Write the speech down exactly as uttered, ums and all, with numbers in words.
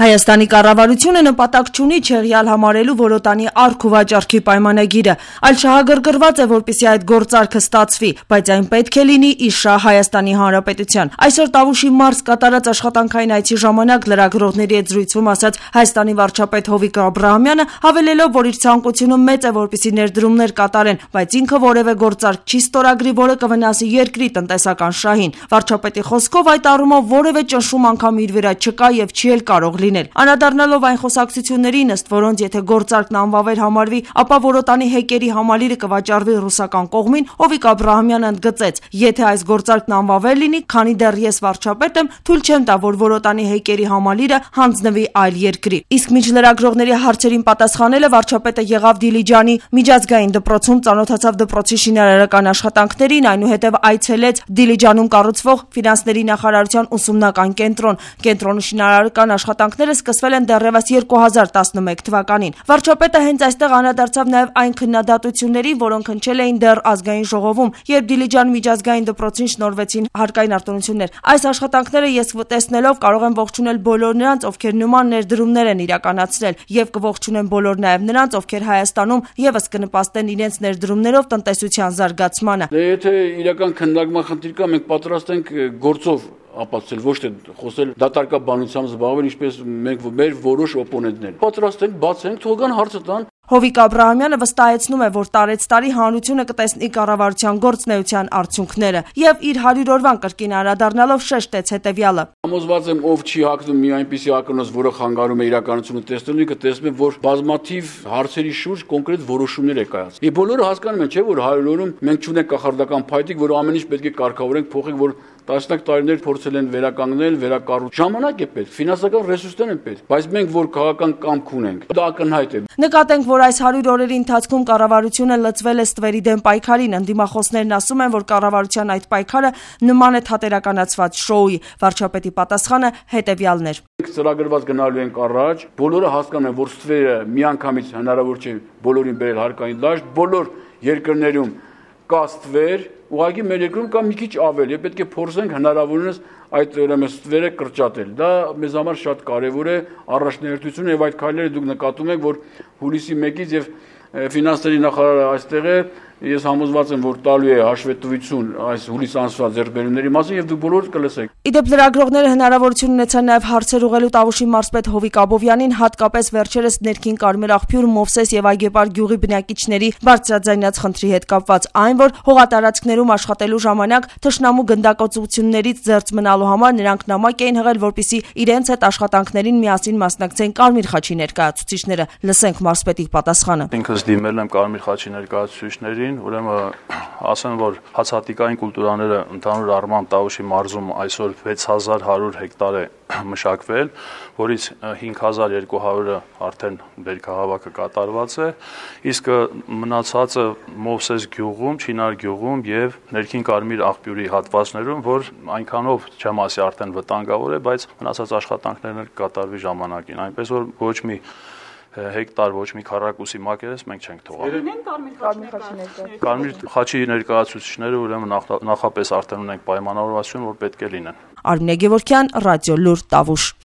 Հայաստանի կառավարությունը նպատակ չունի չեղյալ համարելու Որոտանի առք ու վաճառքի պայմանագիրը, այլ շահագրգռված է, որպեսզի այդ գործարքը ստացվի, բայց այն պետք է լինի ի շահ Հայաստանի Հանրապետության։ Այսօր Տավուշի մարզ կատարած աշխատանքային այցի ժամանակ լրագրողների հետ զրույցում ասաց Հայաստանի վարչապետ Հովիկ Աբրահամյանը, հավելելով, որ իր ցանկությունը մեծ է, որպեսզի ներդրումներ կատարեն, բայց ինքը որևէ գործարք չի ստորագրի, որը կվնասի երկրի տնտեսական շահին։ Վարչապետի խոսքով այդ առումով որևէ ճնշում անգամ իր վրա չկա եւ չի էլ կարող լինել։ Անդրադառնալով այն խոսակցություններին, ըստ որոնց եթե գործարքն անվավեր համարվի, ապա Որոտանի հեկերի համալիրը կվաճառվի ռուսական կողմին, Հովիկ Աբրահամյանը ընդգծեց. եթե այս գործարքն անվավեր լինի, քանի դեռ ես վարչապետ եմ, թույլ չեմ տա, որ Որոտանի հեկերի համալիրը հանձնվի այլ երկրի։ Իսկ մինչ լրագրողների հարցերին պատասխանելը վարչապետը եղավ Դիլիջանի միջազգային դպրոցում, ծանոթացավ դպրոցի շինարարական աշխատանքներին, այնուհետև այցելեց Դիլիջանում կառուցվող ֆինանսների նախարարության ուսումնական կենտրոն։ Կենտրոնի շինարարական աշխատանքները սկսվել են դեռևս երկու հազար տասնմեկ թվականին։ Վարչապետը հենց այստեղ անդրադարձավ նաև այն քննադատություններին, որոնք հնչել էին դեռ ազգային ժողովում, երբ Դիլիջան միջազգային դպրոցին շնորհվեցին հարկային արտոնություններ։ Այս աշխատանքները ես տեսնելով կարող եմ ողջունել բոլոր նրանց, ովքեր նման ներդրումներ են իրականացրել, եւ կողջունեմ բոլոր նաև նրանց, ովքեր Հայաստանում եւս կնպաստեն իրենց ներդրումներով տնտեսության զարգացմանը։ Դե եթե իրական քննարկման խնդիր կա, մենք պատրաստ ենք գործով ապացուցել, ոչ թե խոսել դատարկաբանությամբ զբաղվել, ինչպես մենք մեր որոշ օպոնենտներ։ Պատրաստ ենք, բաց ենք, թող գան հարցը տան։ Հովիկ Աբրահամյանը վստահեցնում է, որ տարեցտարի հանրությունը կտեսնի կառավարության գործունեության արդյունքները եւ իր հարյուր օրվան կրկին անդրադառնալով շեշտեց հետեւյալը. Համոզված եմ, ով չի հակնում մի այնպիսի ակնոց, որը խանգարում է իրականությունը տեսնելուն, կտեսնի, որ բազմաթիվ հարցերի շուրջ կոնկրետ որոշումներ է կայացել։ Եվ բոլորը հասկանում են, չէ՞, որ հարյուր օրում մենք չունենք կախարդական փայտիկ, որ ամեն ինչ պետք է կարգավորենք, փոխենք, որ տասնյակ տարիներ փորձել են վերականգնել, վերակառուցել։ Ժամանակ է պետք, ֆինանսական ռեսուրսներ են պետք, բայց մենք որ քաղաքական կամք ունենք, դա ակնհայտ է։ Նկատենք, որ այս հարյուր օրերի ընթացքում կառավարությունը լծվել է ստվերի դեմ պայքարին, ընդդիմախոսներն ասում են, որ կառավարության այդ պայքարը նման է թատերականացված շոուի։ Վարչապետի պատասխանը հետեւյալն էր. Մենք ծրագրված գնալու ենք առաջ, բոլորը հասկանում են, որ ստվերը միանգամից հնարավոր չէ բոլորին բերել հարկային դաշտ, բոլոր երկրներում կա ստվեր, ուղղակի մեր երկրում կա մի քիչ ավել, եւ պետք է փորձենք հնարավորինս այդ ուրեմն ստվերը կրճատել։ Դա մեզ համար շատ կարեւոր է, առաջնահերթություն եւ այդ քայլերը դուք նկատում եք, որ հուլիսի մեկից եւ ֆինանսների նախարարը այստեղ է, ես համոզված եմ, որ տալու է հաշվետվություն այս հուլիս ամսվա ձեռքբերումների մասին եւ դուք բոլորդ կլսեք։ Իդեպ լրագրողները հնարավորություն ունեցան նաև հարցեր ուղղելու Տավուշի մարզպետ Հովիկ Աբովյանին, հատկապես վերջերս ներքին Կարմիր աղբյուր, Մովսես եւ Այգեպար գյուղի բնակիչների բարձրաձայնած խնդրի հետ կապված, այն որ հողատարածքներում աշխատելու ժամանակ թշնամու գնդակոծություններից զերծ մնալու համար նրանք նամակ էին հղել, որպեսզի իրենց հետ աշխատանքներին միասին մասնակցեն Կարմիր խաչի ներկայացուցիչները։ Լսենք մարզպետի պատասխանը։ Ինքս դիմել եմ Կարմիր խաչի ներկայացուցիչներին, ուրեմն ասեմ, որ հացահատիկային կուլտուրաները ընդհանուր առմամբ Տավուշի մարզում այսօր վեց հազար հարյուր հեկտար է մշակվել, որից հինգ հազար երկու հարյուրը արդեն բերքահավաքը կատարված է, իսկ մնացածը Մովսես գյուղում, Չինար գյուղում եւ ներքին Կարմիր աղբյուրի հատվածներում, որ այնքանով չեմ ասի արդեն վտանգավոր է, բայց մնացած աշխատանքներն կկատարվի ժամանակին, այնպես որ ոչ մի հեկտար, ոչ մի քառակուսի մակերես մենք չենք թողել։ Կարմիր խաչի ներկայացուցիչները ուրեմն նախապես արդեն ունենք պայմանավորվածություն, որ պետք է լինեն։ Արմինե Գևորգյան, Ռադիո Լուր, Տավուշ։